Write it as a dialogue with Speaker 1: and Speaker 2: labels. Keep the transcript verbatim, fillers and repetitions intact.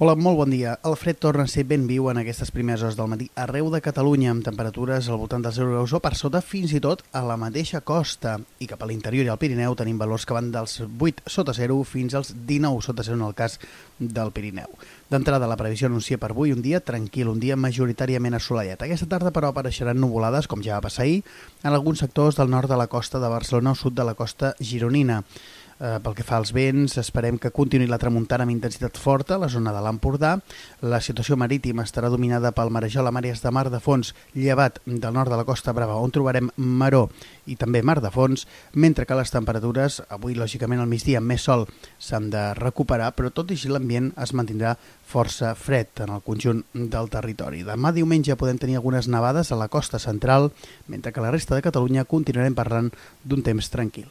Speaker 1: Hola, molt bon dia. El fred torna a ser ben viu en aquestes primeres hores del matí arreu de Catalunya, amb temperatures al voltant dels zero graus o per sota, fins i tot a la mateixa costa. I cap a l'interior i al Pirineu tenim valors que van dels vuit sota zero fins als dinou sota zero en el cas del Pirineu. D'entrada, la previsió anuncia per avui un dia tranquil, un dia majoritàriament assolellat. Aquesta tarda, però, apareixeran nuvolades, com ja va passar ahir, en alguns sectors del nord de la costa de Barcelona o sud de la costa gironina. Eh, pel que fa als vents, esperem que continuï la tramuntana amb intensitat forta a la zona de l'Empordà. La situació marítima estarà dominada pel marejol amb àrees de mar de fons llevat del nord de la Costa Brava, on trobarem maró i també mar de fons, mentre que les temperatures, avui lògicament al migdia amb més sol, s'han de recuperar, però tot i així l'ambient es mantindrà força fred en el conjunt del territori. Demà diumenge podem tenir algunes nevades a la costa central, mentre que a la resta de Catalunya continuarem parlant d'un temps tranquil.